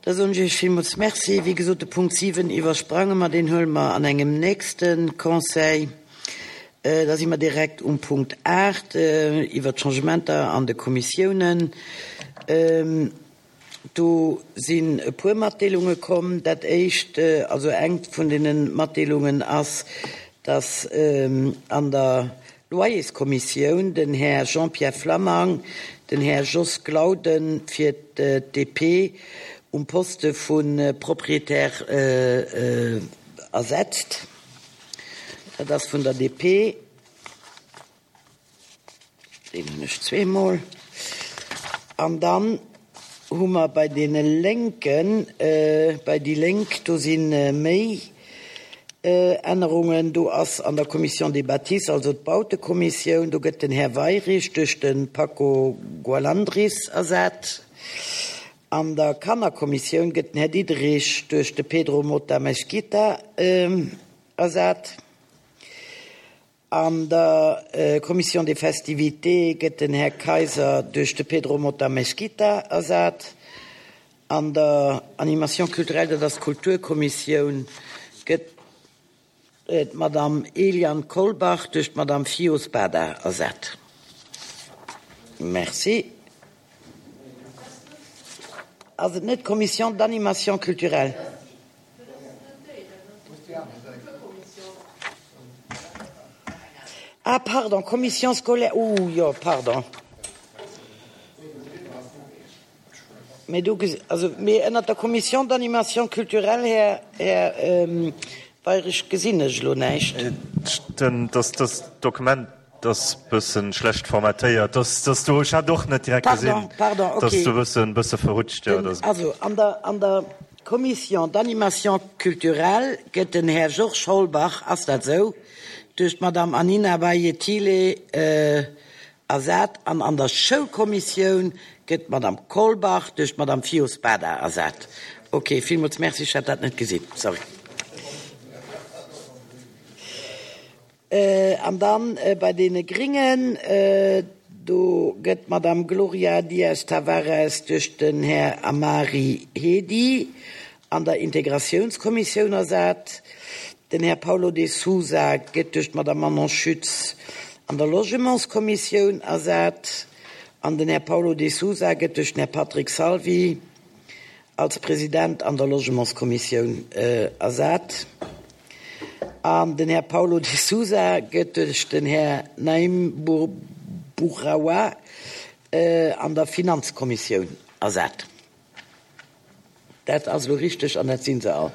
Da soen ech Iech villmools Merci. Wéi gesot, de Punkt 7 iwwersprange mer, deen huele mer an engem nächste Conseil. Da si mer direkt um Punkt 8 iwwert d'Changementer an de Kommissiounen. Do sinn e puer Matdeelunge komm. Dat éischt, also eng vun deene Matdeelungen ass, dass an der Loyerskommissioun den Här Jean-Pierre Flammang den Här Jos Glauden fir d'DP um Poste vu Propriétaire ersetzt. Dat ass vun der DP. Deen hunn ech zweemol. An dann hu mer bei deene Lénken, bei déi Lénk, do si méi Ännerungen. Do ass an der Commission des bâtisses, also d'Bautekommissioun, do gëtt den Här Weyrich duerch de Paco Gualandris ersat. An der Kannerkommissioun gëtt den Här Diderich duerch de Pedro Mota Mesquita ersat. An der Commission des festivités gëtt den Här Kayser duerch de Pedro Mota Mesquita ersat. An der Animation culturelle, dat ass d'Kulturkommissioun, gëtt d'Madame Eliane Kolbach duerch d'Madame Fio Spada ersat. Merci. Ass et net d'Commission d'animation culturelle? Ah pardon, Commission scolaire, ooh jo, pardon. Mee do gesi, also mee ënnert der Commission d'animation culturelle, Här, Här Weyrich, gesinn ech elo näischt. Dass das Dokument ass bëssen schlecht formatéiert, dass dass do, ech hat och net direkt gesinn, Pardon, pardon, dass okay. do bëssen bësse verrutscht, jo, Den, dass. also an der, an der Commission d'animation culturelle gëtt den Här Georges Holbach, ass dat esou, duerch d'Madame Anina Bayetile ersat an an der Schoulkommissioun gëtt d'Madame Kolbach duerch d'Madame Fio Spada ersat. Okay, villmools Merci, ech hat dat net gesinn, sorry. An dann bei deene Gringen, do gëtt d'Madame Gloria Dias Tavares duerch den Här Amari Hedi an der Integratiounskommissioun ersat. Den Här Paulo de Sousa gëtt duerch d'Madame Manon Schütz an der Logementskommissioun ersat an den Här Paulo de Sousa gëtt duerch den Här Patrick Salvi als President an der Logementskommissioun ersat an den Här Paulo de Sousa gëtt duerch den Här Naim Bouraoua an der Finanzkommissioun ersat. Dat ass elo richteg an dat si se all.